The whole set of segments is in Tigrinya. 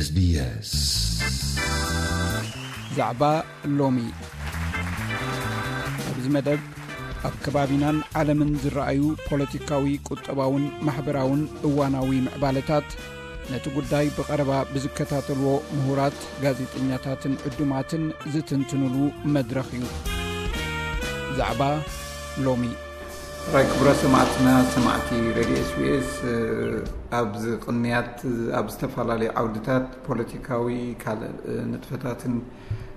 SBS። ዛዕባ ሎሚ። ኣብዚ መደብ፣ ኣብ ከባቢናን ዓለምን ዝረኣዩ ፖለቲካዊ፣ ቁጠባውን ማሕበራውን እዋናዊ ምዕባለታት፣ ነቲ ጉዳይ ብቐረባ ብዝከታተልዎ ምሁራት፣ ጋዜጠኛታትን ዕዱማትን ዝትንትኑሉ መድረኽ እዩ። ዛዕባ ሎሚ። ራይ ክቡራት ሰማዕትና፣ ሰማዕቲ ሬድዮ SBS፣ ኣብዚ ቅንያት ኣብ ዝተፈላለዩ ዓውድታት ፖለቲካዊ ካልእ ንጥፈታትን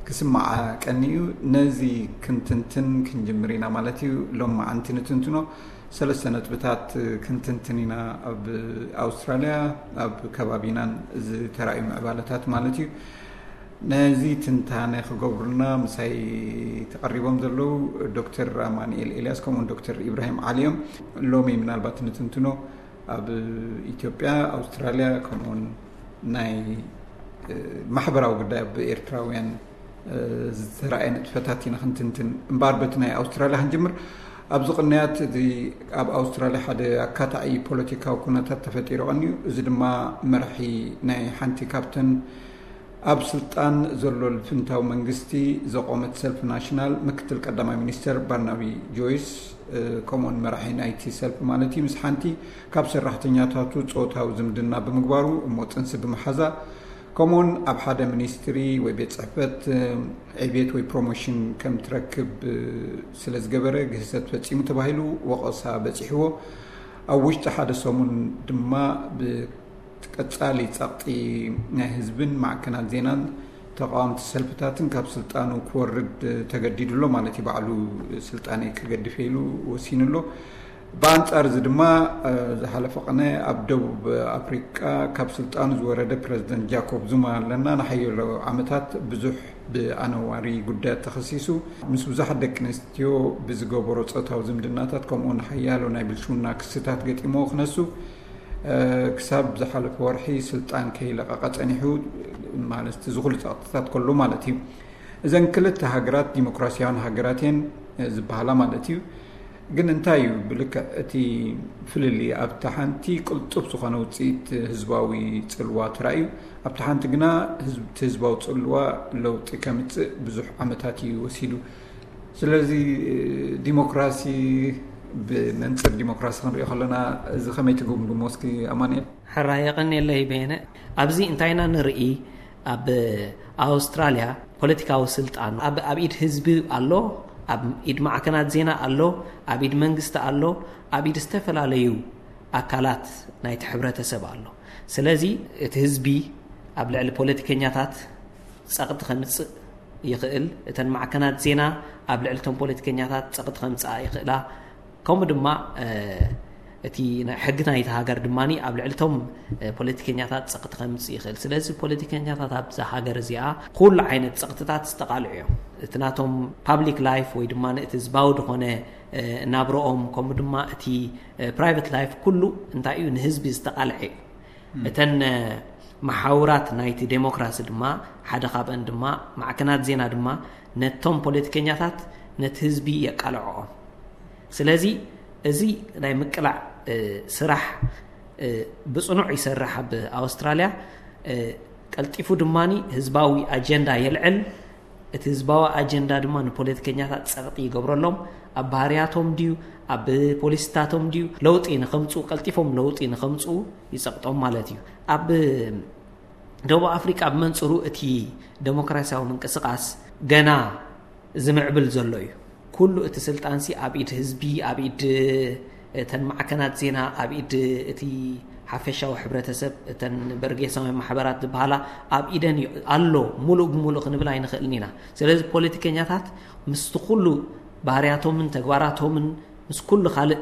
ክስማዓ ቀንዩ። ነዚ ክንትንትን ክንጅምር ኢና ማለት እዩ። ሎም መዓንቲ ንትንትኖ ሰለስተ ነጥብታት ክንትንትን ኢና። ኣብ ኣውስትራልያ፣ ኣብ ከባቢናን ዝተራእዩ ምዕባለታት ማለት እዩ። ነዚ ትንታነ ክገብሩልና ምሳይ ተቐሪቦም ዘለዉ ዶክተር ኣማኑኤል ኤልያስ ከምኡውን ዶክተር ኢብራሂም ዓሊ እዮም። ሎሚ ምናልባት ንትንትኖ ኣብ ኢትዮጵያ፣ ኣውስትራልያ ከምኡውን ናይ፣ እ፣ ማሕበራዊ ጉዳይ ኣብ ኤርትራውያን፣ እ፣ ዝተራእየ ንጥፈታት ኢና ክንትንትን። እምበኣር በቲ ናይ ኣውስትራልያ ክንጅምር። ኣብዚ ቅንያት እቲ ኣብ ኣውስትራልያ ሓደ ኣካታዒ ፖለቲካዊ ኩነታት ተፈጢሩ ቀንዩ። እዚ ድማ መራሒ ናይ ሓንቲ ካብተን ኣብ ስልጣን ዘሎ ልፍንታዊ መንግስቲ ዘቆመት ሰልፊ ናሽናል፣ ምክትል ቀዳማይ ሚኒስተር ባርናቢ ጆይስ፣ እ፣ ከምኡውን መራሒ ናይቲ ሰልፊ ማለት እዩ፣ ምስ ሓንቲ ካብ ሰራሕተኛታቱ ጾታዊ ዝምድና ብምግባሩ እሞ ጥንሲ ብምሓዛ፣ ከምኡውን ኣብ ሓደ ሚኒስትሪ ወይ ቤት ጽሕፈት፣ እ፣ ዕቤት ወይ ፕሮሞሽን ከም ትረክብ፣ እ፣ ስለ ዝገበረ ግህሰት ፈጺሙ ተባሂሉ ወቐሳ በጺሕዎ። ኣብ ውሽጢ ሓደ ሰሙን ድማ ብ ቀጻሊ ጸቕጢ ናይ ህዝብን ማዕከናት ዜናን ተቓወምቲ ሰልፍታትን ካብ ስልጣኑ ክወርድ ተገዲዱ ኣሎ ማለት እዩ። ባዕሉ ስልጣነይ ክገድፍ ኢሉ ወሲኑ ኣሎ። ብኣንጻር እዚ ድማ፣ እ፣ ዝሓለፈ ቅነ ኣብ ደቡብ ኣፍሪቃ ካብ ስልጣኑ ዝወረደ ፕረዚደንት ጃኮብ ዙማ ኣለና። ንሓያሎ ዓመታት ብዙሕ ብኣነዋሪ ጉዳያት ተኸሲሱ፣ ምስ ብዙሓት ደቂ ኣንስትዮ ብዝገበሮ ጾታዊ ዝምድናታት ከምኡውን ሓያሎ ናይ ብልሽውና ክስታት ገጢሞ ክነሱ፣ እ፣ ክሳብ ዝሓለፈ ወርሒ ስልጣን ከይለቐቐ ጸኒሑ፣ ማለት እቲ ዝኹሉ ጸቕጥታት ከሎ ማለት እዩ። እዘን ክልተ ሃገራት ዲሞክራሲያውያን ሃገራት እየን፣ እ፣ ዝበሃላ ማለት እዩ። ግን እንታይ እዩ ብልክዕ እቲ ፍልልይ? ኣብታ ሓንቲ ቅልጡፍ ዝኾነ ውጽኢት ህዝባዊ ጽልዋ ተራእዩ፣ ኣብታ ሓንቲ ግና ህዝብ-፣ እቲ ህዝባዊ ጽልዋ ለውጢ ከምጽእ ብዙሕ ዓመታት እዩ ወሲዱ። ስለዚ ዲሞክራሲ፣ ብመንጽር ዲሞክራሲ ክንሪኦ ከለና፣ እዚ ከመይ ትግምግሞ እስኪ ኣማኑኤል? ሕራይ የቐንየለይ በየነ። ኣብዚ እንታይ ኢና ንርኢ? ኣብ ኣውስትራልያ ፖለቲካዊ ስልጣን ኣብ፣ ኣብ ኢድ ህዝቢ ኣሎ፣ ኣብ ኢድ ማዕከናት ዜና ኣሎ፣ ኣብ ኢድ መንግስቲ ኣሎ፣ ኣብ ኢድ ዝተፈላለዩ ኣካላት ናይቲ ሕብረተሰብ ኣሎ። ስለዚ እቲ ህዝቢ ኣብ ልዕሊ ፖለቲከኛታት ጸቕጢ ከምጽእ ይኽእል። እተን ማዕከናት ዜና ኣብ ልዕሊ እቶም ፖለቲከኛታት ጸቕጢ ከምጽኣ ይኽእላ። ከምኡ ድማ፣ እ፣ እቲ ናይ ሕጊ ናይቲ ሃገር ድማ ኣብ ልዕሊ እቶም፣ እ፣ ፖለቲከኛታት ጸቕጢ ከምጽእ ይኽእል። ስለዚ ፖለቲከኛታት ኣብዛ ሃገር እዚኣ ኩሉ ዓይነት ጸቕጥታት ዝተቓልዑ እዮም። እቲ ናቶም ፓብሊክ ላይፍ ወይ ድማ እቲ ህዝባዊ ዝኾነ፣ እ፣ ናብረኦም፣ ከምኡ ድማ እቲ፣ እ፣ ፕራይቨት ላይፍ ኩሉ እንታይ እዩ ንህዝቢ ዝተቓልዐ እዩ። እም። እተን፣ እ፣ መሓውራት ናይቲ ዴሞክራሲ ድማ፣ ሓደ ካብአን ድማ ማዕከናት ዜና ድማ ነቶም ፖለቲከኛታት ነቲ ህዝቢ የቃልዕኦም። ስለዚ እዚ ናይ ምቅላዕ፣ እ፣ ስራሕ፣ እ፣ ብጽኑዕ ይሰርሕ ኣብ ኣውስትራልያ። እ፣ ቀልጢፉ ድማ ህዝባዊ ኣጀንዳ የልዕል። እቲ ህዝባዊ ኣጀንዳ ድማ ንፖለቲከኛታት ጸቕጢ ይገብረሎም። ኣብ ባህርያቶም ድዩ፣ ኣብ ፖሊሲታቶም ድዩ፣ ለውጢ ንኸምጽኡ፣ ቀልጢፎም ለውጢ ንኸምጽኡ ይጸቕጦም ማለት እዩ። ኣብ ደቡብ ኣፍሪቃ ብመንጽሩ እቲ ደሞክራሲያዊ ምንቅስቓስ ገና ዝምዕብል ዘሎ እዩ። ኩሉ እቲ ስልጣንሲ ኣብ ኢድ ህዝቢ፣ ኣብ ኢድ እተን ማዕከናት ዜና፣ ኣብ ኢድ እቲ ሓፈሻዊ ሕብረተሰብ፣ እተን በርጌሳውያን ማሕበራት ዝበሃላ ኣብ ኢደን እዩ ኣሎ። ሙሉእ ብሙሉእ ክንብል ኣይንኽእልን ኢና። ስለዚ ፖለቲከኛታት ምስቲ ኩሉ ባህርያቶምን ተግባራቶምን ምስ ኩሉ ካልእ፣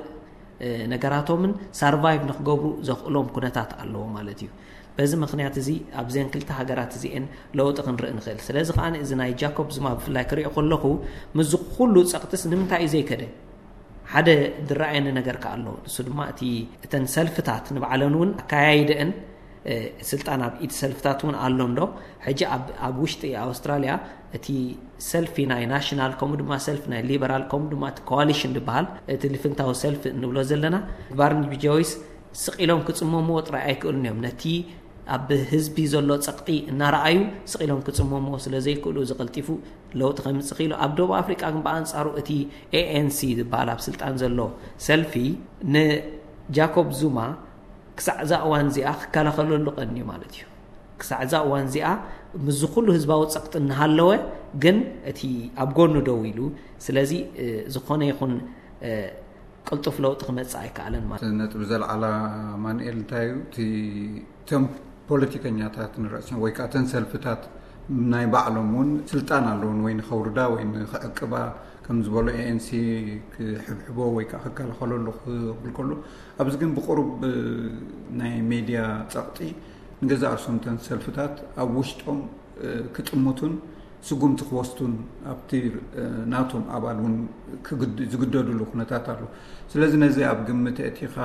እ፣ ነገራቶምን ሳርቫይቭ ንክገብሩ ዘኽእሎም ኩነታት ኣለዎ ማለት እዩ። በዚ ምኽንያት እዚ ኣብዘን ክልተ ሃገራት እዚኤን ለውጢ ክንርኢ ንኽእል። ስለዚ ከኣ እዚ ናይ ጃኮብ ዙማ ብፍላይ ክሪኦ ከለኹ፣ ምስዚ ኩሉ ጸቕጥስ ንምንታይ እዩ ዘይከደ? ሓደ ዝረኣየኒ ነገር ከኣ ኣሎ። ንሱ ድማ እቲ፣ እተን ሰልፍታት ንባዕለን እውን ኣካያይደአን፣ እ፣ ስልጣን ኣብ ኢድ ሰልፍታት እውን ኣሎ እንዶ። ሕጂ ኣብ፣ ኣብ ውሽጢ ኣውስትራልያ እቲ ሰልፊ ናይ ናሽናል፣ ከምኡ ድማ ሰልፊ ናይ ሊበራል፣ ከምኡ ድማ እቲ ኮዋሊሽን ዝበሃል፣ እቲ ልፍንታዊ ሰልፊ እንብሎ ዘለና፣ ባርናቢ ጆይስ ስቕ ኢሎም ክጽመምዎ ጥራይ ኣይክእሉን እዮም። ነቲ ኣብ ህዝቢ ዘሎ ጸቕጢ እናረኣዩ ስቕ ኢሎም ክጽመምዎ ስለ ዘይክእሉ፣ እዚ ቀልጢፉ ለውጢ ከምጽእ ክኢሉ። ኣብ ደቡብ ኣፍሪቃ ግን ብኣንጻሩ እቲ ኤኤንሲ ዝበሃል ኣብ ስልጣን ዘሎ ሰልፊ ንጃኮብ ዙማ ክሳዕ እዛ እዋን እዚኣ ክከላኸለሉ ቀንዩ ማለት እዩ። ክሳዕ እዛ እዋን እዚኣ ምስዚ ኩሉ ህዝባዊ ጸቕጢ እናሃለወ ግን እቲ ኣብ ጎኑ ደው ኢሉ፣ ስለዚ ዝኾነ ይኹን ቅልጡፍ ለውጢ ክመጽእ ኣይከኣለን ማለት። ነጥቢ ዘልዓላ ማንኤል እንታይ እዩ? እቲ እቶም ፖለቲከኛታት ንርእሲኦም ወይ ከዓ እተን ሰልፍታት ናይ ባዕሎም እውን ስልጣን ኣለውን ወይ ንኸውርዳ ወይ ንኽዕቅባ ከም ዝበሎ ኤኤንሲ ክሕብሕቦ ወይ ከዓ ክከላኸለሉ ክብል ከሎ፣ ኣብዚ ግን ብቁሩብ ናይ ሜድያ ጸቕጢ ንገዛእ ርእሶም እተን ሰልፍታት ኣብ ውሽጦም ክጥምቱን ስጉምቲ ክወስዱን ኣብቲ ናቶም ኣባል እውን ዝግደድሉ ኩነታት ኣሎ። ስለዚ ነዚ ኣብ ግምት ኣእቲኻ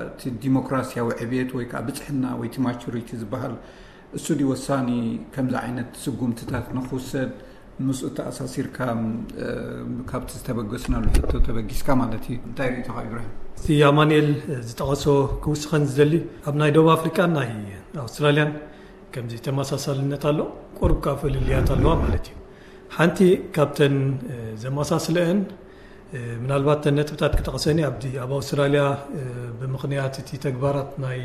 እቲ ዲሞክራሲያዊ ዕብየት ወይ ከዓ ብፅሕና ወይ እቲ ማቹሪቲ ዝበሃል እሱ ድዩ ወሳኒ ከምዚ ዓይነት ስጉምትታት ንክውሰድ ምስኡ ተኣሳሲርካ ካብቲ ዝተበገስናሉ ሕቶ ተበጊስካ ማለት እዩ። እንታይ ርእቶኻ ኢብራሂም? እቲ ኣማንኤል ዝጠቐሶ ክውስኸን ዝደሊ ኣብ ናይ ደቡብ ኣፍሪቃን ናይ ኣውስትራልያን ከምዚ ተመሳሳልነት ኣሎ፣ ቁሩብ ከኣ ፍልልያት ኣለዋ ማለት እዩ። ሓንቲ ካብተን ዘመሳስለአን ምናልባት ተን ነጥብታት ክጠቕሰኒ ኣብቲ ኣብ ኣውስትራልያ ብምኽንያት እቲ ተግባራት ናይ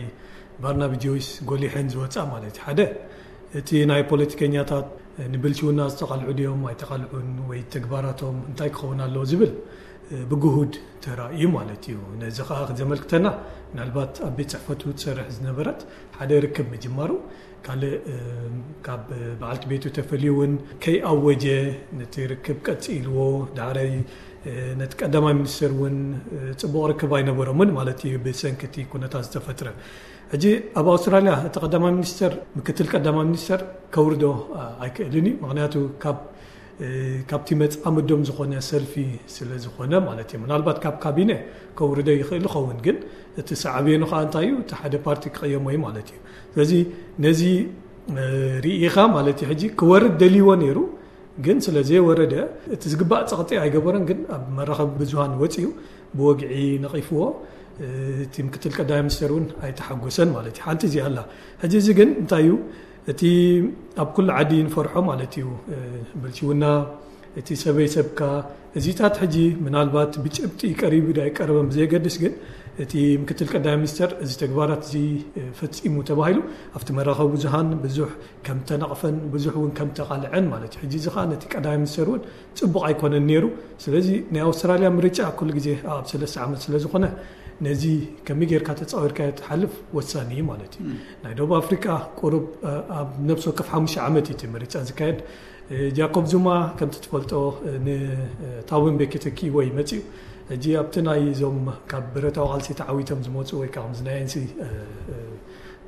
ባርናቢ ጆይስ ጎሊሐን ዝወፃ ማለት እዩ። ሓደ እቲ ናይ ፖለቲከኛታት ንብልሽውና ዝተቓልዑ ድዮም ኣይተቓልዑን ወይ ተግባራቶም እንታይ ክኸውን ኣለዎ ዝብል ብግሁድ ተራእዩ ማለት እዩ። ነዚ ከዓ ዘመልክተና ምናልባት ኣብ ቤት ፅሕፈቱ ትሰርሕ ዝነበረት ሓደ ርክብ ምጅማሩ ካልእ ካብ በዓልቲ ቤቱ ተፈልዩ እውን ከይኣወጀ ነቲ ርክብ ቀፂልዎ ዳሕራይ ነቲ ቀዳማይ ሚኒስትር እውን ፅቡቕ ርክብ ኣይነበሮምን ማለት እዩ ብሰንኪ እቲ ኩነታት ዝተፈጥረ። ሕጂ ኣብ ኣውስትራልያ እቲ ቀዳማይ ሚኒስተር ምክትል ቀዳማይ ሚኒስተር ከውርዶ ኣይክእልን እዩ። ምክንያቱ ካብ ካብቲ መፃምዶም ዝኾነ ሰልፊ ስለ ዝኾነ ማለት እዩ። ምናልባት ካብ ካቢነ ከውርዶ ይኽእል ይኸውን፣ ግን እቲ ሳዕቤኑ ከዓ እንታይ እዩ? እቲ ሓደ ፓርቲ ክቕየሞ እዩ ማለት እዩ። ስለዚ ነዚ ርኢኻ ማለት እዩ። ሕጂ ክወርድ ደልይዎ ነይሩ፣ ግን ስለ ዘይወረደ እቲ ዝግባእ ፀቕጢ ኣይገበረን። ግን ኣብ መራኸቢ ብዙሃን ወፂኡ ብወግዒ ነቒፍዎ። እቲ ምክትል ቀዳማይ ሚኒስተር እውን ኣይተሓጎሰን ማለት እዩ። ሓንቲ እዚኣ ኣላ። ሕጂ እዚ ግን እንታይ እዩ? እቲ ኣብ ኩሉ ዓዲ ንፈርሖ ማለት እዩ። ብልሽውና፣ እቲ ሰበይ ሰብካ፣ እዚታት ሕጂ ምናልባት ብጭብጢ ቀሪቡ ዶ ኣይቀረበን ብዘየገድስ፣ ግን እቲ ምክትል ቀዳማይ ሚኒስተር እዚ ተግባራት እዚ ፈጺሙ ተባሂሉ ኣብቲ መራኸቢ ብዙሃን ብዙሕ ከም ተነቕፈን ብዙሕ እውን ከም ተቓልዐን ማለት እዩ። ሕጂ እዚ ኸዓ ነቲ ቀዳማይ ሚኒስተር እውን ጽቡቕ ኣይኮነን ነይሩ። ስለዚ ናይ ኣውስትራልያ ምርጫ ኩሉ ግዜ ኣብ ሰለስተ ዓመት ስለ ዝኾነ ነዚ ከመይ ጌርካ ተጻዊርካዮ ትሓልፍ ወሳኒ እዩ ማለት እዩ። ናይ ደቡብ ኣፍሪቃ ቁሩብ ኣብ ነብሲ ወከፍ ሓሙሽተ ዓመት እዩ እቲ ምርጫ ዝካየድ። ጃኮብ ዙማ ከምቲ ትፈልጦ ንታቦ ምቤኪ ተኪእዎ እዩ መጺኡ። ሕጂ ኣብቲ ናይ እዞም ካብ ብረታዊ ቃልሲ ተዓዊቶም ዝመፁ ወይ ከዓ ከምዚ ናይ ኤንሲ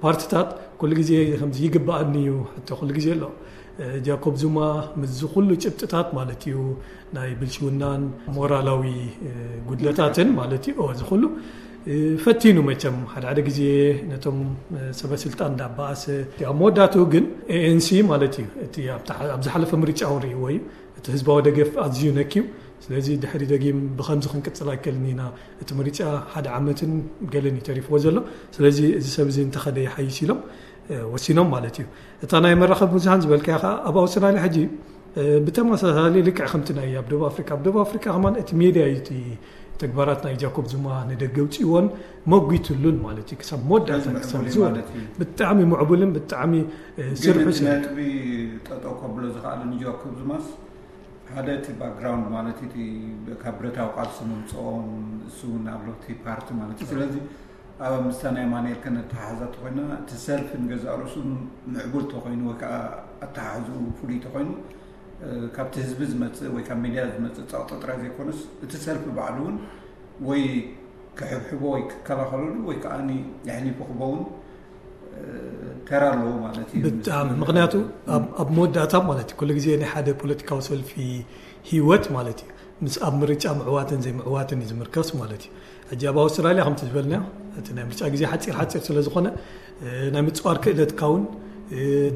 ፓርትታት ኩሉ ግዜ ከምዚ ይግባኣኒ እዩ ሕቶ ኩሉ ግዜ ኣሎ። ጃኮብ ዙማ ምስዚ ኩሉ ጭብጥታት ማለት እዩ ናይ ብልሽውናን ሞራላዊ ጉድለታትን ማለት እዩ እዚ ኩሉ ፈቲኑ መቸም ሓደ ሓደ ግዜ ነቶም ሰበ ስልጣን እንዳባኣሰ ኣብ መወዳእትኡ ግን ኤኤንሲ ማለት እዩ እቲ ኣብ ዝሓለፈ ምርጫ እውን ርእይዎ እዩ። እቲ ህዝባዊ ደገፍ ኣዝዩ ነክዩ። ስለዚ ድሕሪ ደጊም ብኸምዚ ክንቅጽል ኣይክእልን ኢና። እቲ ምርጫ ሓደ ዓመትን ገለን እዩ ተሪፍዎ ዘሎ። ስለዚ እዚ ሰብ እዚ እንተኸደ ይሓይሽ ኢሎም ወሲኖም ማለት እዩ። እታ ናይ መራኸቢ ብዙሃን ዝበልካያ ከዓ ኣብ ኣውስትራልያ ሕጂ ብተመሳሳሊ ልክዕ ከምቲ ናይ ኣብ ደቡብ ኣፍሪካ ኣብ ደቡብ ኣፍሪካ ከማን እቲ ሜድያ እዩ እቲ ተግባራት ናይ ጃኮብ ዙማ ንደገ ውፅእዎን መጒትሉን ማለት እዩ። ክሳብ መወዳእታ ክሳብ ዝወ ብጣዕሚ ምዕቡልን ብጣዕሚ ስርሑ ነጥቢ ጠጠው ከብሎ ዝኸኣለ ንጃኮብ ዙማስ ሓደ እቲ ባክግራውንድ ማለት እቲ ካብ ብረታዊ ቃልሲ ምምፅኦም እሱ እውን ኣብ ለውቲ ፓርቲ ማለት እዩ። ስለዚ ኣብ ምስታ ናይ ማንኤል ከነተሓሕዛ ተኮይና እቲ ሰልፊ ንገዛእ ርእሱ ምዕቡል ተኮይኑ ወይ ከዓ ኣተሓሕዝኡ ፍሉይ ተኮይኑ ካብቲ ህዝቢ ዝመፅእ ወይ ካብ ሚድያ ዝመፅእ ፀቕጢ ጥራይ ዘይኮነስ እቲ ሰልፊ ባዕሉ እውን ወይ ክሕብሕቦ ወይ ክከላኸለሉ ወይ ከዓ የሕሊፉ ክቦውን ተራ ኣለዎ ማለት እዩ። ብጣዕሚ ምክንያቱ ኣብ መወዳእታ ማለት እዩ ኩሉ ግዜ ናይ ሓደ ፖለቲካዊ ሰልፊ ህይወት ማለት እዩ ምስ ኣብ ምርጫ ምዕዋትን ዘይምዕዋትን እዩ ዝምርከስ ማለት እዩ። ሕጂ ኣብ ኣውስትራልያ ከምቲ ዝበልና እቲ ናይ ምርጫ ግዜ ሓፂር ሓፂር ስለ ዝኾነ ናይ ምፅዋር ክእለትካ እውን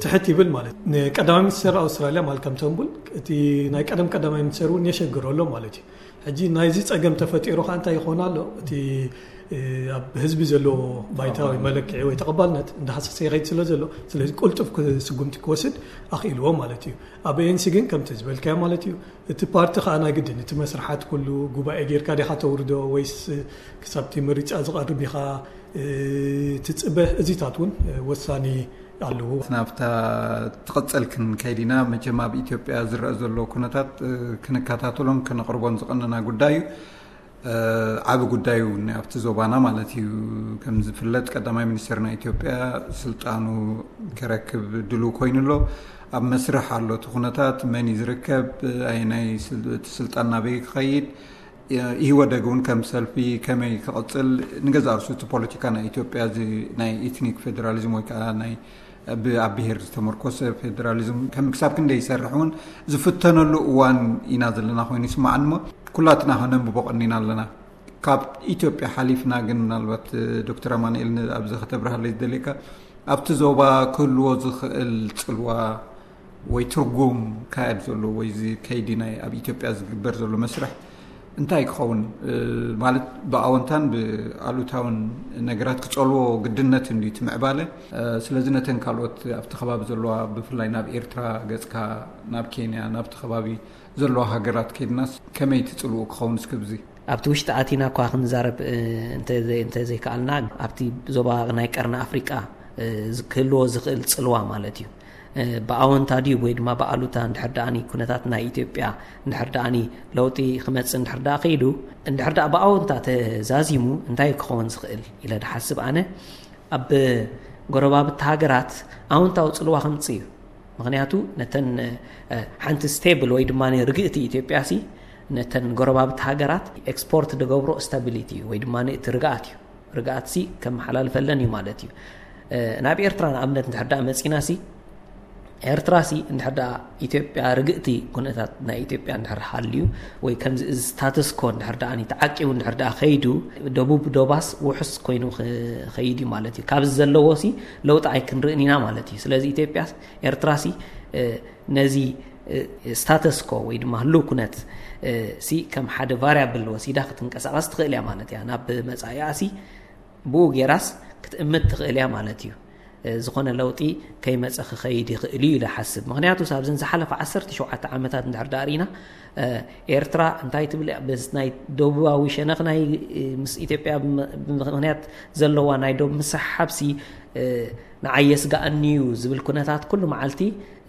ትሕት ይብል ማለት እዩ። ንቀዳማይ ሚኒስትር ኣውስትራልያ ማልካም ተንቡል እቲ ናይ ቀደም ቀዳማይ ሚኒስትር እውን የሸግሮ ኣሎ ማለት እዩ። ሕጂ ናይዚ ጸገም ተፈጢሩ ከኣ እንታይ ይኾን ኣሎ? እቲ ኣብ ህዝቢ ዘሎ ባይታ ወይ መለክዒ ወይ ተቐባልነት እንዳሃሰሰ ይኸይድ ስለ ዘሎ፣ ስለዚ ቅልጡፍ ስጉምቲ ክወስድ ኣኽኢልዎ ማለት እዩ። ኣብ ኤንሲ ግን ከምቲ ዝበልካዮ ማለት እዩ፣ እቲ ፓርቲ ከኣ ናይ ግድን እቲ መስርሓት ኩሉ ጉባኤ ጌርካ ዲኻ ተውርዶ ወይስ ክሳብቲ ምርጫ ዝቐርብ ኢኻ ትጽበ? እዚታት እውን ወሳኒ ኣለዎ። ናብታ ትቐጸል ክንከይድ ኢና። መቸም ኣብ ኢትዮጵያ ዝረአ ዘሎ ኩነታት ክንከታተሎን ክንቕርቦን ዝቐነና ጉዳይ እዩ። ዓቢ ጉዳይ እውን ኣብቲ ዞባና ማለት እዩ። ከም ዝፍለጥ ቀዳማይ ሚኒስትር ናይ ኢትዮጵያ ስልጣኑ ክረክብ ድሉ ኮይኑ ኣሎ። ኣብ መስርሕ ኣሎ እቲ ኩነታት፣ መን እዩ ዝርከብ፣ ኣየናይ እቲ ስልጣን ናበይ ክኸይድ፣ ኢህወደግ እውን ከም ሰልፊ ከመይ ክቕጽል፣ ንገዛ ርሱ እቲ ፖለቲካ ናይ ኢትዮጵያ እዚ ናይ ኤትኒክ ፌዴራሊዝም ወይ ከዓ ናይ ኣብ ብሄር ዝተመርኮሰ ፌዴራሊዝም ከም ክሳብ ክንደይ ይሰርሕ እውን ዝፍተነሉ እዋን ኢና ዘለና ኮይኑ ይስማዓኒ። እሞ ኩላትና ከነንብቦ ቀኒና ኣለና። ካብ ኢትዮጵያ ሓሊፍና ግን ምናልባት ዶክተር ኣማንኤል ኣብዚ ከተብርሃለይ ዝደልየካ ኣብቲ ዞባ ክህልዎ ዝኽእል ጽልዋ ወይ ትርጉም ካየድ ዘሎ ወይ እዚ ከይዲ ናይ ኣብ ኢትዮጵያ ዝግበር ዘሎ መስርሕ እንታይ ክኸውን ማለት ብኣወንታን ብኣሉታውን ነገራት ክጸልዎ ግድነት እንዲ ትምዕባለ። ስለዚ ነተን ካልኦት ኣብቲ ከባቢ ዘለዋ ብፍላይ ናብ ኤርትራ ገጽካ ናብ ኬንያ ናብቲ ከባቢ ዘለዋ ሃገራት ከይድናስ ከመይ ትጽልኡ ክኸውን እስክብዚ ኣብቲ ውሽጢ ኣቲና እኳ ክንዛረብ እንተዘይከኣልና ኣብቲ ዞባ ናይ ቀርኒ ኣፍሪቃ ክህልዎ ዝኽእል ጽልዋ ማለት እዩ። ብኣወንታ ድዩ ወይ ድማ ብኣሉታ እንድሕር ደኣኒ ኩነታት ናይ ኢትዮጵያ እንድሕር ደኣኒ ለውጢ ክመጽእ እንድሕር ደኣ ከይዱ እንድሕር ደኣ ብኣወንታ ተዛዚሙ እንታይ ክኸውን ዝኽእል ኢለ ድሓስብ ኣነ ኣብ ጎረባብቲ ሃገራት ኣወንታዊ ጽልዋ ከምጽእ እዩ። ምክንያቱ ነተን ሓንቲ ስቴብል ወይ ድማ ርግእቲ ኢትዮጵያ ሲ ነተን ጎረባብቲ ሃገራት ኤክስፖርት ዝገብሮ ስታቢሊቲ እዩ ወይ ድማ እቲ ርግኣት እዩ። ርግኣት ሲ ከመሓላልፈለን እዩ ማለት እዩ። ናብ ኤርትራ ንኣብነት እንድሕር ደኣ መጺና ሲ ኤርትራ ሲ እንድሕር ደኣ ኢትዮጵያ ርግእቲ ኩነታት ናይ ኢትዮጵያ እንድሕር ሃልዩ ወይ ከምዚ እዚ ስታተስኮ እንድሕር ደኣ ተዓቂቡ እንድሕር ደኣ ከይዱ ደቡብ ዶባስ ውሑስ ኮይኑ ክኸይድ እዩ ማለት እዩ። ካብዚ ዘለዎ ሲ ለውጢ ኣይክንርእን ኢና ማለት እዩ። ስለዚ ኢትዮጵያ ኤርትራ ሲ ነዚ ስታተስኮ ወይ ድማ ህልው ኩነት ሲ ከም ሓደ ቫሪያብል ወሲዳ ክትንቀሳቐስ ትኽእል እያ ማለት እያ። ናብ መጻኢኣ ሲ ብኡ ጌራስ ክትእምት ትኽእል እያ ማለት እዩ። ዝኾነ ለውጢ ከይመፀ ክኸይድ ይኽእል እዩ ኢለ ሓስብ። ምክንያቱ ኣብዘን ዝሓለፈ ዓሰርተ ሸውዓተ ዓመታት እንድሕር ዳኣ ርኢና ኤርትራ እንታይ ትብል እያ? በዚ ናይ ደቡባዊ ሸነኽ ናይ ምስ ኢትዮጵያ ብምክንያት ዘለዋ ናይ ዶብ ምስሕሓብሲ ንዓይ የስጋኣኒ እዩ ዝብል ኩነታት ኩሉ መዓልቲ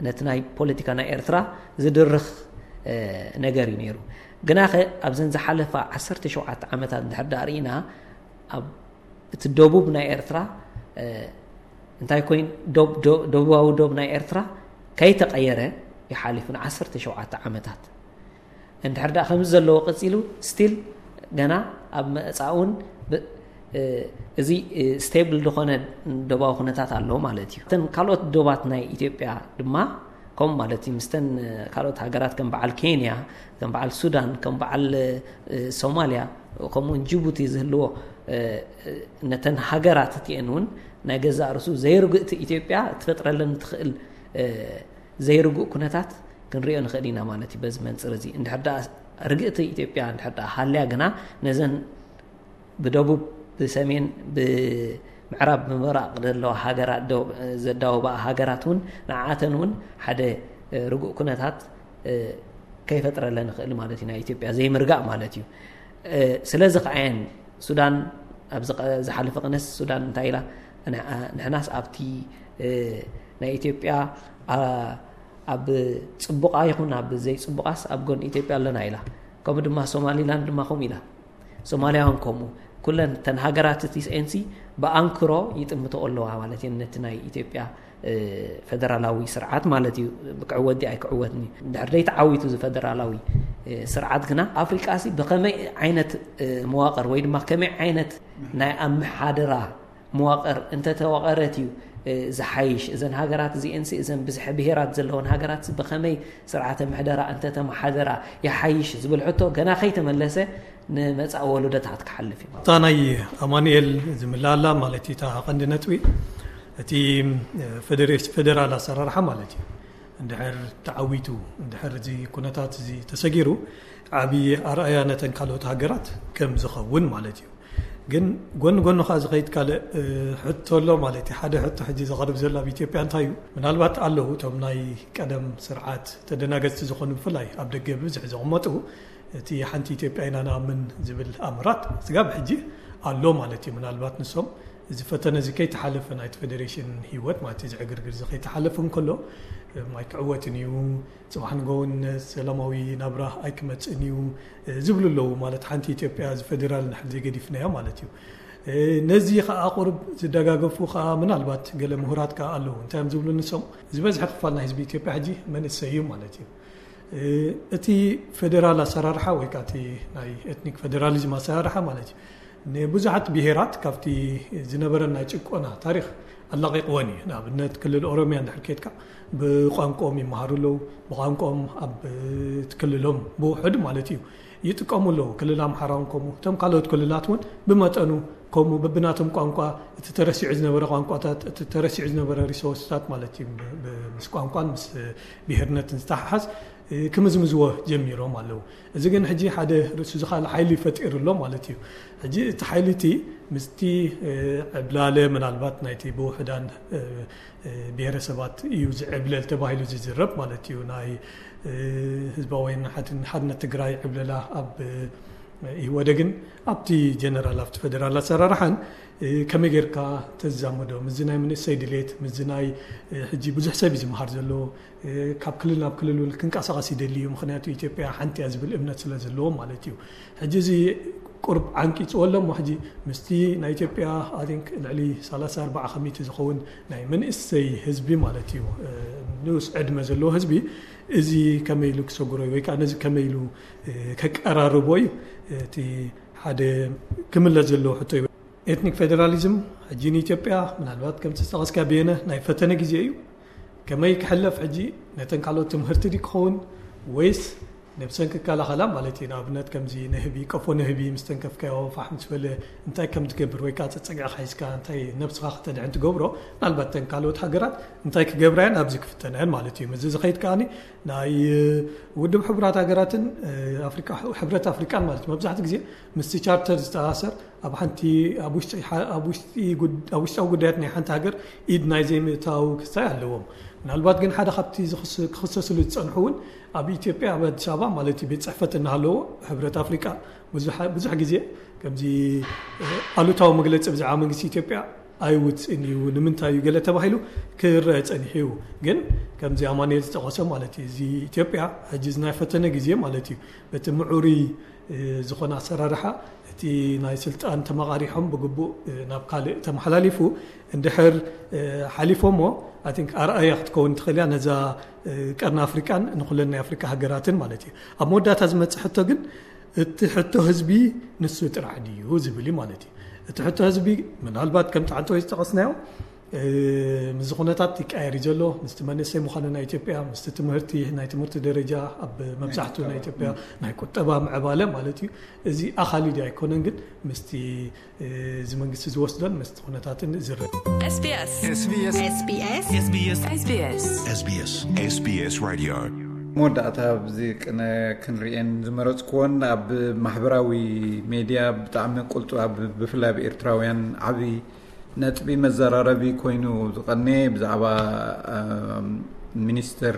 ነቲ ናይ ፖለቲካ ናይ ኤርትራ ዝድርኽ ነገር እዩ ነይሩ። ግናኸ ኣብዘን ዝሓለፋ ዓሰርተ ሸውዓተ ዓመታት እንድሕር ዳኣ ርኢና ኣብ እቲ ደቡብ ናይ ኤርትራ እንታይ ኮይን ደቡባዊ ዶብ ናይ ኤርትራ ከይተቀየረ ይሓሊፉ ንዓሰርተ ሸውዓተ ዓመታት እንድሕር ደኣ ከምዚ ዘለዎ ቀፂሉ ስቲል ገና ኣብ መፃእውን እዚ ስቴብል ዝኾነ ደባዊ ኩነታት ኣለዎ ማለት እዩ። እተን ካልኦት ዶባት ናይ ኢትዮጵያ ድማ ከምኡ ማለት እዩ። ምስተን ካልኦት ሃገራት ከም በዓል ኬንያ፣ ከም በዓል ሱዳን፣ ከም በዓል ሶማልያ ከምኡውን ጅቡቲ ዝህልዎ ነተን ሃገራት እቲአን እውን ናይ ገዛእ ርእሱ ዘይርግእቲ ኢትዮጵያ ትፈጥረለን ትኽእል ዘይርጉእ ኩነታት ክንሪኦ ንኽእል ኢና ማለት እዩ። በዚ መንፅር እዚ እንድሕር ደኣ ርግእቲ ኢትዮጵያ እንድሕር ደኣ ሃልያ ግና ነዘን ብደቡብ ብሰሜን ብምዕራብ ብምብራቕ ዘለዋ ሃገራት ዘዳወባኣ ሃገራት እውን ንዓተን እውን ሓደ ርጉእ ኩነታት ከይፈጥረለን ይኽእል ማለት እዩ። ናይ ኢትዮጵያ ዘይምርጋእ ማለት እዩ። ስለዚ ከዓየን ሱዳን ኣብዚ ዝሓለፈ ቅነስ ሱዳን እንታይ ኢላ ንሕናስ ኣብቲ ናይ ኢትዮጵያ ኣብ ፅቡቓ ይኹን ኣብ ዘይፅቡቓስ ኣብ ጎን ኢትዮጵያ ኣለና ኢላ። ከምኡ ድማ ሶማሊላንድ ድማ ከምኡ ኢላ። ሶማልያ እውን ከምኡ ኩለን ተን ሃገራት እቲ ኤንሲ ብኣንክሮ ይጥምቶ ኣለዋ ማለት እየን ነቲ ናይ ኢትዮጵያ ፈደራላዊ ስርዓት ማለት እዩ። ክዕወት ድዩ ኣይክዕወትን እዩ። እንድሕር ደይተዓዊቱ እዚ ፈደራላዊ ስርዓት ግና ኣፍሪቃ ሲ ብኸመይ ዓይነት መዋቅር ወይ ድማ ከመይ ዓይነት ናይ ኣመሓደራ መዋቅር እንተተዋቀረት እዩ ዝሓይሽ። እዘን ሃገራት እዚኤን ሲ እዘን ብዝሒ ብሄራት ዘለወን ሃገራት ብኸመይ ስርዓተ ምሕደራ እንተተመሓደራ ይሓይሽ ዝብል ሕቶ ገና ከይተመለሰ ንመጻኢ ወለዶታት ክሓልፍ እዩ። እታ ናይ ኣማኑኤል ዝምላላ ማለት እዩ እታ ቀንዲ ነጥቢ እቲ ፌደሬስ ፌደራል ኣሰራርሓ ማለት እዩ። እንድሕር ተዓዊቱ፣ እንድሕር እዚ ኩነታት እዚ ተሰጊሩ፣ ዓብዪ ኣርኣያ ነተን ካልኦት ሃገራት ከም ዝኸውን ማለት እዩ። ግን ጎኒ ጎኒ ከዓ ዝኸይድ ካልእ ሕቶ ኣሎ ማለት እዩ። ሓደ ሕቶ ሕጂ ዘቐርብ ዘሎ ኣብ ኢትዮጵያ እንታይ እዩ? ምናልባት ኣለዉ እቶም ናይ ቀደም ስርዓት ተደናገፅቲ ዝኾኑ፣ ብፍላይ ኣብ ደገ ብብዝሒ ዘቕመጡ፣ እቲ ሓንቲ ኢትዮጵያ ኢና ንኣምን ዝብል ኣምራት ስጋብ ሕጂ ኣሎ ማለት እዩ። ምናልባት ንሶም እዚ ፈተነ እዚ ከይተሓለፈ፣ ናይቲ ፌዴሬሽን ህይወት ማለት እዚ ዕግርግር እዚ ከይተሓለፈ እንከሎ፣ ማይ ክዕወትን እዩ፣ ፅባሕ ንጎውን ሰላማዊ ናብራ ኣይክመፅእን እዩ ዝብሉ ኣለዉ። ማለት ሓንቲ ኢትዮጵያ እዚ ፌዴራል ንሕል ዘይገዲፍናዮ ማለት እዩ። ነዚ ከዓ ቁርብ ዝደጋገፉ ከዓ ምናልባት ገለ ምሁራት ከዓ ኣለዉ። እንታይ እዮም ዝብሉ ንሶም? ዝበዝሐ ክፋል ናይ ህዝቢ ኢትዮጵያ ሕጂ መንእሰይ እዩ ማለት እዩ። እቲ ፌዴራል ኣሰራርሓ ወይ ከዓ እቲ ናይ ኤትኒክ ፌዴራሊዝም ኣሰራርሓ ማለት እዩ፣ ንብዙሓት ብሄራት ካብቲ ዝነበረ ናይ ጭቆና ታሪኽ ኣላቒቕወን እዩ። ንኣብነት ክልል ኦሮሚያ እንድሕር ከድካ ብቋንቋኦም ይመሃሩ ኣለዉ። ብቋንቋኦም ኣብ ክልሎም ብውሑድ ማለት እዩ ይጥቀሙ ኣለዉ። ክልል ኣምሓራ እውን ከምኡ፣ እቶም ካልኦት ክልላት እውን ብመጠኑ ከምኡ በብናቶም ቋንቋ፣ እቲ ተረሲዑ ዝነበረ ቋንቋታት፣ እቲ ተረሲዑ ዝነበረ ሪሶርስታት ማለት እዩ፣ ብ- ብ- ምስ ቋንቋን ምስ ብሄርነትን ዝተሓሓዝ ክምዝምዝዎ ጀሚሮም ኣለዉ። እዚ ግን ሕጂ ሓደ ርእሱ ዝኻል ሓይሊ ፈጢሩ ኣሎ ማለት እዩ። ሕጂ እቲ ሓይሊ እቲ ምስቲ ዕብላለ ምናልባት ናይቲ ብውሕዳን ብሄረሰባት እዩ ዝዕብለል ተባሂሉ ዝዝረብ ማለት እዩ። ናይ ህዝባዊ ሓድነት ትግራይ ዕብለላ ኣብ ኢህወደግን ኣብቲ ጀነራል ኣብቲ ፌደራል ኣሰራርሓን ከመይ ጌርካ ተዛምዶ ምስዚ ናይ መንእሰይ ድሌት ምስዚ ናይ ሕጂ ብዙሕ ሰብ እዩ ዝመሃር ዘሎ፣ ካብ ክልል ናብ ክልል እውን ክንቀሳቐስ ይደሊ እዩ። ምክንያቱ ኢትዮጵያ ሓንቲ እያ ዝብል እምነት ስለ ዘለዎም ማለት እዩ። ሕጂ እዚ ቁርብ ዓንቂፅዎ ኣሎ እሞ ሕጂ ምስቲ ናይ ኢትዮጵያ I think ልዕሊ ሰላሳ ኣርባዓ ከሚቲ ዝኸውን ናይ መንእሰይ ህዝቢ ማለት እዩ፣ ንኡስ ዕድመ ዘለዎ ህዝቢ፣ እዚ ከመይ ኢሉ ክሰጉሮ እዩ ወይ ከዓ ነዚ ከመይ ኢሉ ከቀራርቦ እዩ እቲ ሓደ ክምለስ ዘለዎ ሕቶ እዩ። ኤትኒክ ፌደራሊዝም ሕጂ ንኢትዮጵያ ምናልባት ከምቲ ዝጠቐስካ ብየነ ናይ ፈተነ ግዜ እዩ። ከመይ ክሕለፍ ሕጂ ነተን ካልኦት ትምህርቲ ድዩ ክኸውን ወይስ ነብሰን ክከላኸላ ማለት እዩ? ንኣብነት ከምዚ ንህቢ፣ ቀፎ ንህቢ ምስ ተንከፍካዮ ፋሕ ምስ በለ እንታይ ከም ትገብር ወይ ከዓ ጸጸጊዕኻ ሒዝካ እንታይ ነብስኻ ከተድሕን ትገብሮ፣ ምናልባት ተን ካልኦት ሃገራት እንታይ ክገብራ እየን ኣብዚ ክፍተና እየን ማለት እዩ። ምስዚ ዝኸይድ ከዓኒ ናይ ውድብ ሕቡራት ሃገራትን ኣፍሪቃ፣ ሕብረት ኣፍሪቃን ማለት እዩ መብዛሕትኡ ግዜ ምስቲ ቻርተር ዝተኣሳሰር ኣብ ሓንቲ ኣብ ውሽጢ ኣብ ውሽጣዊ ጉዳያት ናይ ሓንቲ ሃገር ኢድ ናይ ዘይምእታው ክስታይ ኣለዎም። ምናልባት ግን ሓደ ካብቲ ክኽሰስሉ ዝፀንሑ እውን ኣብ ኢትዮጵያ ኣብ ኣዲስ ኣበባ ማለት እዩ ቤት ፅሕፈት እናሃለዎ ሕብረት ኣፍሪቃ ብዙሕ ግዜ ከምዚ ኣሉታዊ መግለፂ ብዛዕባ መንግስቲ ኢትዮጵያ ኣይውፅእን እዩ። ንምንታይ እዩ ገለ ተባሂሉ ክረአ ፀኒሑ እዩ። ግን ከምዚ ኣማኑኤል ዝጠቐሶ ማለት እዩ እዚ ኢትዮጵያ ሕጂ ናይ ፈተነ ግዜ ማለት እዩ በቲ ምዑሩይ ዝኾነ ኣሰራርሓ እቲ ናይ ስልጣን ተመቓሪሖም ብግቡእ ናብ ካልእ ተመሓላሊፉ እንድሕር ሓሊፎሞ I think ኣርኣያ ክትከውን ትኽእል እያ ነዛ ቀርኒ ኣፍሪቃን ንኩለን ናይ ኣፍሪቃ ሃገራትን ማለት እዩ። ኣብ መወዳእታ ዝመፅእ ሕቶ ግን እቲ ሕቶ ህዝቢ ንሱ ጥራሕ ድዩ ዝብል እዩ ማለት እዩ። እቲ ሕቶ ህዝቢ ምናልባት ከምቲ ዓንተወይ ዝጠቐስናዮ ምስዚ ኩነታት ይቀየር እዩ ዘሎ። ምስቲ መንእሰይ ምዃኑ ናይ ኢትዮጵያ፣ ምስቲ ትምህርቲ፣ ናይ ትምህርቲ ደረጃ ኣብ መብዛሕትኡ ናይ ኢትዮጵያ ናይ ቁጠባ ምዕባለ ማለት እዩ። እዚ ኣኻሊ ድዩ ኣይኮነን ግን ምስቲ እዚ መንግስቲ ዝወስዶን ምስቲ ኩነታትን ዝረ SBS SBS SBS SBS SBS SBS SBS Radio። መወዳእታ ኣብዚ ቅነ ክንሪኤን ዝመረፅክዎን ኣብ ማሕበራዊ ሜድያ ብጣዕሚ ቁልጡ ኣብ ብፍላይ ኣብ ኤርትራውያን ዓብዪ ነጥቢ መዘራረቢ ኮይኑ ዝቐነየ ብዛዕባ ሚኒስተር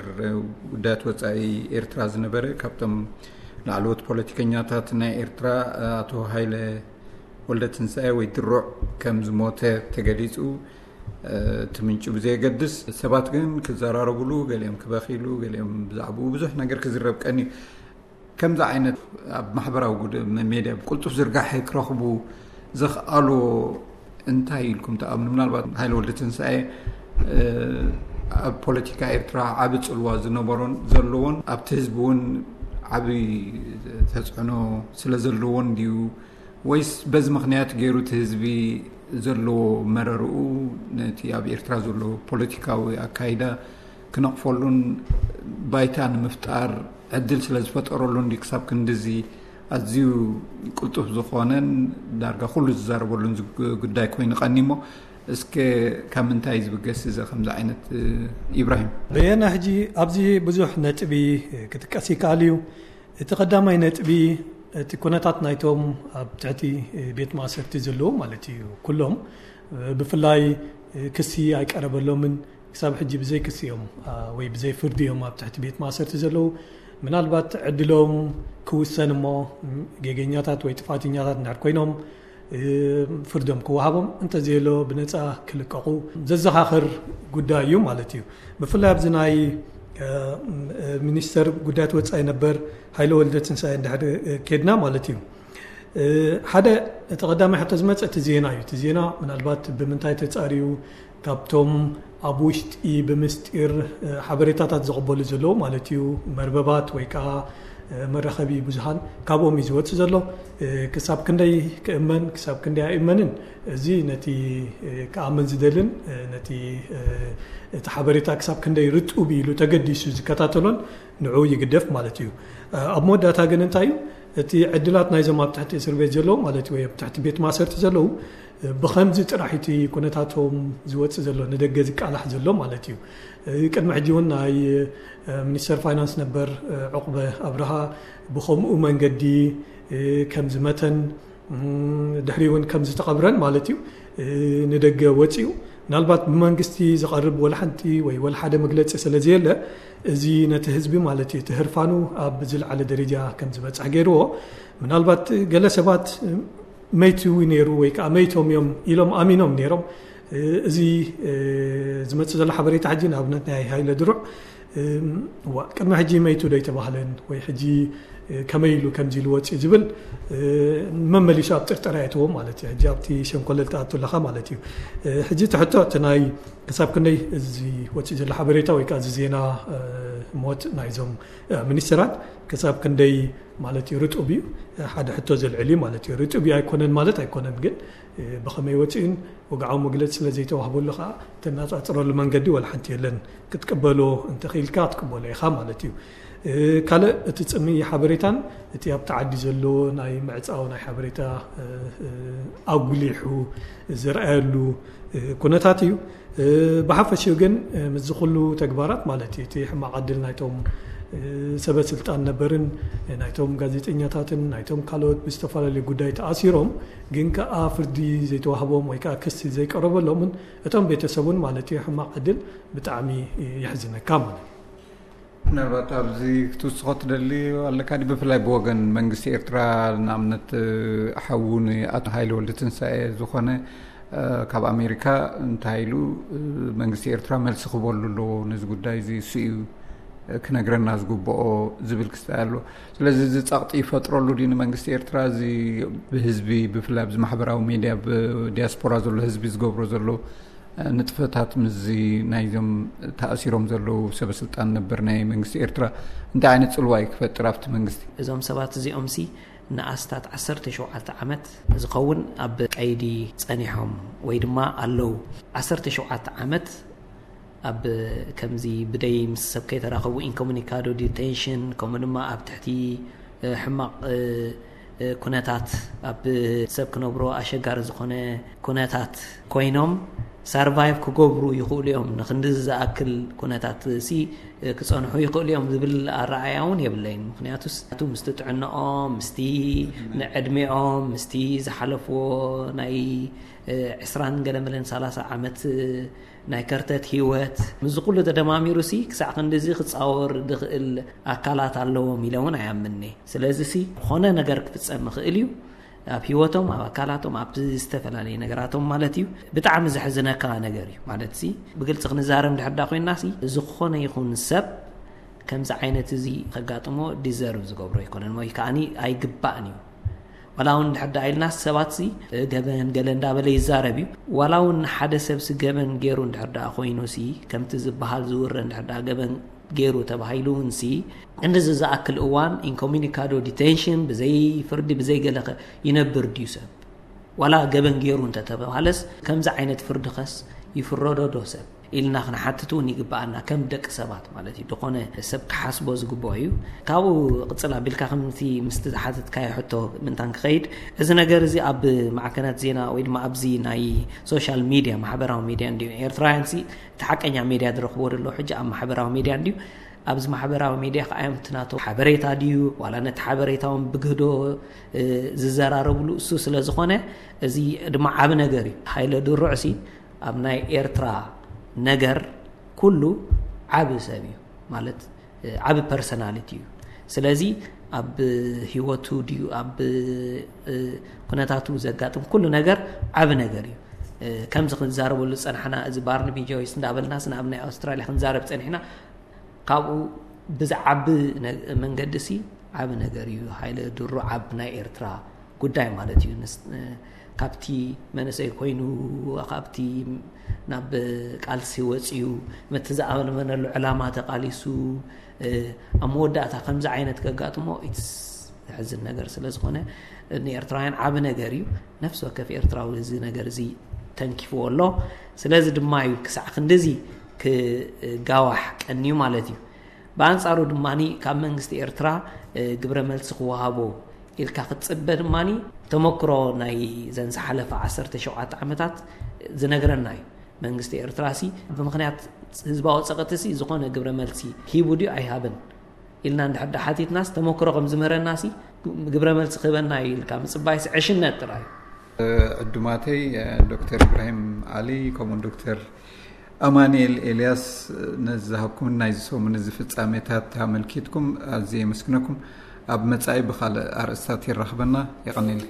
ጉዳያት ወፃኢ ኤርትራ ዝነበረ ካብቶም ላዕለዎት ፖለቲከኛታት ናይ ኤርትራ ኣቶ ሃይለ ወልደ ትንሳኤ ወይ ድሩዕ ከም ዝሞተ ተገሊፁ። እቲ ምንጩ ብዘየገድስ ሰባት ግን ክዘራረብሉ፣ ገሊኦም ክበኺሉ፣ ገሊኦም ብዛዕባኡ ብዙሕ ነገር ክዝረብ ቀንዩ። ከምዚ ዓይነት ኣብ ማሕበራዊ ጉድ- ሜድያ ብቁልጡፍ ዝርጋሐ ክረኽቡ ዘኽኣሎ እንታይ ኢልኩም ትኣምኑ? ምናልባት ሃይለ ወልደ ትንሳኤ ኣብ ፖለቲካ ኤርትራ ዓቢ ጽልዋ ዝነበሮን ዘለዎን ኣብቲ ህዝቢ እውን ዓቢ ተጽዕኖ ስለ ዘለዎን ድዩ ወይስ በዚ ምኽንያት ገይሩ እቲ ህዝቢ ዘለዎ መረርኡ ነቲ ኣብ ኤርትራ ዘሎ ፖለቲካዊ ኣካይዳ ክነቕፈሉን ባይታ ንምፍጣር ዕድል ስለ ዝፈጠረሉን ድዩ ክሳብ ክንድዚ ኣዝዩ ቅልጡፍ ዝኾነን ዳርጋ ኩሉ ዝዛረበሉን ጉዳይ ኮይኑ ቀኒሞ? እስከ ካብ ምንታይ ዝብገስ እዚ ከምዚ ዓይነት? ኢብራሂም። በየና ሕጂ ኣብዚ ብዙሕ ነጥቢ ክጥቀስ ይከኣል እዩ። እቲ ቀዳማይ ነጥቢ፣ እቲ ኩነታት ናይቶም ኣብ ትሕቲ ቤት ማእሰርቲ ዘለዉ ማለት እዩ። ኩሎም ብፍላይ ክሲ ኣይቀረበሎምን፣ ክሳብ ሕጂ ብዘይ ክሲ እዮም ወይ ብዘይ ፍርዲ እዮም ኣብ ትሕቲ ቤት ማእሰርቲ ዘለዉ። ምናልባት ዕድሎም ክውሰን እሞ፣ ጌገኛታት ወይ ጥፋተኛታት እንድሕር ኮይኖም ፍርዶም ክወሃቦም፣ እንተዘየሎ ብነፃ ክልቀቑ ዘዘኻኽር ጉዳይ እዩ ማለት እዩ። ብፍላይ ኣብዚ ናይ ሚኒስተር ጉዳያት ወፃኢ ነበር ሃይለ ወልደ ትንሳኤ እንድሕር ኬድና ማለት እዩ። ሓደ፣ እቲ ቀዳማይ ሕቶ ዝመፀ እቲ ዜና እዩ። እቲ ዜና ምናልባት ብምንታይ ተፃርዩ፣ ካብቶም ኣብ ውሽጢ ብምስጢር ሓበሬታታት ዘቕበሉ ዘለዉ ማለት እዩ፣ መርበባት ወይ ከዓ መራኸቢ ብዙሃን፣ ካብኦም እዩ ዝወፅእ ዘሎ። ክሳብ ክንደይ ክእመን፣ ክሳብ ክንደይ ኣይእመንን፣ እዚ ነቲ ክኣምን ዝደልን ነቲ እቲ ሓበሬታ ክሳብ ክንደይ ርጡብ ኢሉ ተገዲሱ ዝከታተሎን ንዑ ይግደፍ ማለት እዩ። ኣብ መወዳእታ ግን እንታይ እዩ እቲ ዕድላት ናይዞም ኣብ ትሕቲ እስር ቤት ዘለዉ ማለት እዩ፣ ወይ ኣብ ትሕቲ ቤት ማእሰርቲ ዘለዉ ብኸምዚ ጥራሕ እቲ ኩነታቶም ዝወፅእ ዘሎ፣ ንደገ ዝቃላሕ ዘሎ ማለት እዩ። ቅድሚ ሕጂ እውን ናይ ሚኒስተር ፋይናንስ ነበር ዑቕበ ኣብርሃ ብኸምኡ መንገዲ ከም ዝመተን ድሕሪ እውን ከም ዝተቐብረን ማለት እዩ ንደገ ወፂኡ። ምናልባት ብመንግስቲ ዝቐርብ ወላ ሓንቲ ወይ ወላ ሓደ መግለፂ ስለ ዘየለ፣ እዚ ነቲ ህዝቢ ማለት እዩ እቲ ህርፋኑ ኣብ ዝለዓለ ደረጃ ከም ዝበፅሕ ገይርዎ። ምናልባት ገለ ሰባት መይቱ ነይሩ ወይ ከዓ መይቶም እዮም ኢሎም ኣሚኖም ነይሮም። እዚ ዝመፅእ ዘሎ ሓበሬታ ሕጂ ንኣብነት ናይ ሃይለ ድሩዕ እዋ ቅድሚ ሕጂ መይቱ ዶ ኣይተባህለን ወይ ሕጂ ከመይ ኢሉ ከምዚ ኢሉ ወፂኡ ዝብል መመሊሱ ኣብ ጥርጠራ የእትዎ ማለት እዩ። ሕጂ ኣብቲ ሸንኮለል ትኣቱ ኣለኻ ማለት እዩ። ሕጂ እቲ ሕቶ እቲ ናይ ክሳብ ክንደይ እዚ ወፂኡ ዘሎ ሓበሬታ ወይ ከዓ እዚ ዜና ሞት ናይዞም ሚኒስትራት ክሳብ ክንደይ ማለት እዩ ርጡብ እዩ? ሓደ ሕቶ ዘልዕል እዩ ማለት እዩ። ርጡብ እዩ ኣይኮነን ማለት ኣይኮነን፣ ግን ብኸመይ ወፂኡን ወግዓዊ መግለፂ ስለ ዘይተዋህበሉ ከዓ ተነፃፅረሉ መንገዲ ወላ ሓንቲ የለን። ክትቅበሎ እንተኽኢልካ ክትቅበሎ ኢኻ ማለት እዩ። ካልእ እቲ ፅምኢ ሓበሬታን እቲ ኣብቲ ዓዲ ዘሎ ናይ ምዕፃው ናይ ሓበሬታ ኣጉሊሑ ዝረኣየሉ ኩነታት እዩ። ብሓፈሽኡ ግን ምስዚ ኩሉ ተግባራት ማለት እዩ እቲ ሕማቕ ዕድል ናይቶም ሰበ ስልጣን ነበርን ናይቶም ጋዜጠኛታትን ናይቶም ካልኦት ብዝተፈላለዩ ጉዳይ ተኣሲሮም ግን ከዓ ፍርዲ ዘይተዋህቦም ወይ ከዓ ክሲ ዘይቀረበሎምን እቶም ቤተሰቡን ማለት እዩ ሕማቕ ዕድል ብጣዕሚ የሕዝነካ ማለት እዩ። ምናልባት ኣብዚ ክትውስኾ ትደሊ ኣለካ ድዩ? ብፍላይ ብወገን መንግስቲ ኤርትራ ንኣብነት ሓዉ ንኣቶ ሃይለ ወልደ ትንሳኤ ዝኾነ ካብ ኣሜሪካ እንታይ ኢሉ መንግስቲ ኤርትራ መልሲ ክበሉ ኣለዎ ነዚ ጉዳይ እዚ እሱ እዩ ክነግረና ዝግብኦ ዝብል ክስታይ ኣሎ። ስለዚ እዚ ጸቕጢ ይፈጥረሉ ድዩ ንመንግስቲ ኤርትራ እዚ ብህዝቢ ብፍላይ ኣብዚ ማሕበራዊ ሜድያ ብዲያስፖራ ዘሎ ህዝቢ ዝገብሮ ዘሎ ንጥፈታት ምስዚ ናይዞም ተኣሲሮም ዘለዉ ሰበ ስልጣን ነበር ናይ መንግስቲ ኤርትራ እንታይ ዓይነት ጽልዋ እዩ ክፈጥር ኣብቲ መንግስቲ? እዞም ሰባት እዚኦም ሲ ንኣስታት ዓሰርተ ሸውዓተ ዓመት ዝኸውን ኣብ ቀይዲ ጸኒሖም ወይ ድማ ኣለዉ። ዓሰርተ ሸውዓተ ዓመት ኣብ ከምዚ ብደይ ምስ ሰብ ከይተራኸቡ ኢንኮሙኒካዶ ዲቴንሽን ከምኡ ድማ ኣብ ትሕቲ ሕማቕ ኩነታት ኣብ ሰብ ክነብሮ ኣሸጋሪ ዝኾነ ኩነታት ኮይኖም ሳርቫይቭ ክገብሩ ይኽእሉ እዮም። ንክንዲ ዝኣክል ኩነታት ሲ ክፀንሑ ይኽእሉ እዮም ዝብል ኣረኣያ እውን የብለይን። ምክንያቱስ ምስቲ ጥዕንኦም ምስቲ ንዕድሜኦም ምስቲ ዝሓለፍዎ ናይ ዕስራን ገለመለን ሰላሳ ዓመት ናይ ከርተት ህይወት ምስዚ ኩሉ ተደማሚሩ ሲ ክሳዕ ክንድዚ ክፃወር ዝኽእል ኣካላት ኣለዎም ኢለ እውን ኣይኣምንኒ። ስለዚ ሲ ዝኾነ ነገር ክፍፀም ይኽእል እዩ ኣብ ህይወቶም ኣብ ኣካላቶም ኣብ ዝተፈላለዩ ነገራቶም ማለት እዩ። ብጣዕሚ ዘሕዝነካ ነገር እዩ ማለት ሲ ብግልፂ ክንዛረብ እንድሕር ዳ ኮይና ሲ ዝኾነ ይኹን ሰብ ከምዚ ዓይነት እዚ ከጋጥሞ ዲዘርቭ ዝገብሮ ኣይኮነን ወይ ከዓኒ ኣይግባእን እዩ። ዋላ እውን እንድሕር ዳ ኢልና ሰባት ሲ ገበን ገለ እንዳበለ ይዛረብ እዩ። ዋላ እውን ሓደ ሰብ ሲ ገበን ገይሩ እንድሕር ዳ ኮይኑ ሲ ከምቲ ዝበሃል ዝውረ እንድሕር ዳ ገበን ገይሩ ተባሂሉ እውን ሲ ክንድዚ ዝኣክል እዋን ኢንኮሚኒካዶ ዲቴንሽን ብዘይ ፍርዲ ብዘይ ገለ ከ ይነብር ድዩ ሰብ? ዋላ ገበን ገይሩ እንተተባሃለስ ከምዚ ዓይነት ፍርዲ ኸስ ይፍረዶ ዶ ሰብ? ኢልና ክንሓትት እውን ይግብኣና፣ ከም ደቂ ሰባት ማለት እዩ። ዝኾነ ሰብ ክሓስቦ ዝግብኦ እዩ። ካብኡ ቅፅል ኣቢልካ ከምቲ ምስቲ ዝሓተትካዮ ሕቶ ምንታን ክኸይድ፣ እዚ ነገር እዚ ኣብ ማዕከናት ዜና ወይ ድማ ኣብዚ ናይ ሶሻል ሚድያ፣ ማሕበራዊ ሚድያ እንዲዩ፣ ኤርትራውያን ሲ እቲ ሓቀኛ ሚድያ ዝረኽብዎ ዘለዉ ሕጂ ኣብ ማሕበራዊ ሚድያ እንዲዩ። ኣብዚ ማሕበራዊ ሚድያ ከዓ እዮም እቲ ናቶም ሓበሬታ ድዩ ዋላ ነቲ ሓበሬታ እውን ብግህዶ ዝዘራረብሉ እሱ ስለ ዝኾነ፣ እዚ ድማ ዓብ ነገር እዩ። ሃይለ ድሩዕ ሲ ኣብ ናይ ኤርትራ ነገር ኩሉ ዓብ ሰብ እዩ ማለት ዓብ ፐርሰናሊቲ እዩ። ስለዚ ኣብ ህይወቱ ድዩ ኣብ ኩነታቱ ዘጋጥም ኩሉ ነገር ዓብ ነገር እዩ። ከምዚ ክንዛረበሉ ዝፀናሕና፣ እዚ ባርንቢ ጆይስ እንዳበልናስ ናብ ናይ ኣውስትራልያ ክንዛረብ ፀኒሕና፣ ካብኡ ብዝዓቢ መንገዲ ሲ ዓብ ነገር እዩ። ሃይለ ድሩ ዓብ ናይ ኤርትራ ጉዳይ ማለት እዩ። ካብቲ መንእሰይ ኮይኑ ካብቲ ናብ ቃልሲ ወፅዩ፣ መቲ ዝኣመነሉ ዕላማ ተቃሊሱ፣ ኣብ መወዳእታ ከምዚ ዓይነት ከጋጥሞ ኢትስ ዘሕዝን ነገር ስለ ዝኾነ፣ ንኤርትራውያን ዓብ ነገር እዩ። ነፍሲ ወከፍ ኤርትራዊ እዚ ነገር እዚ ተንኪፍዎ ኣሎ። ስለዚ ድማ እዩ ክሳዕ ክንድዚ ክጋዋሕ ቀንዩ ማለት እዩ። ብኣንጻሩ ድማ ካብ መንግስቲ ኤርትራ ግብረ መልሲ ክወሃቦ ኢልካ ክትጽበ ድማ ተመክሮ ናይ ዘን ዝሓለፈ ዓሰርተ ሸውዓተ ዓመታት ዝነግረና እዩ። መንግስቲ ኤርትራ ሲ ብምኽንያት ህዝባዊ ጸቕጢ ሲ ዝኾነ ግብረ መልሲ ሂቡ ድዩ ኣይሃበን ኢልና እንድሕር ሓቲትናስ፣ ተመክሮ ከም ዝምህረና ሲ ግብረ መልሲ ክህበና እዩ ኢልካ ምጽባይስ ዕሽነት ጥራይ። ዕዱማተይ ዶክተር ኢብራሂም ዓሊ ከምኡን ዶክተር ኣማኑኤል ኤልያስ ነዚ ዝሃብኩምን ናይዚ ሰሙን እዚ ፍጻሜታት ኣመልኪትኩም ኣዝየ የመስግነኩም። ኣብ መጻኢ ብኻልእ ኣርእስታት ይራኽበና። የቐንየለይ።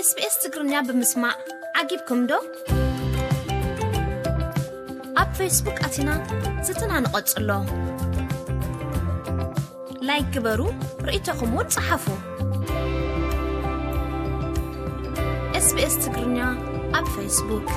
ኤስቢኤስ ትግርኛ ብምስማዕ ዓጊብኩም ዶ? ኣብ ፌስቡክ ኣቲና ዝትና ንቐጽሎ። ላይክ ግበሩ፣ ርእይቶኹም እውን ጸሓፉ። ኤስቢኤስ ትግርኛ ኣብ ፌስቡክ።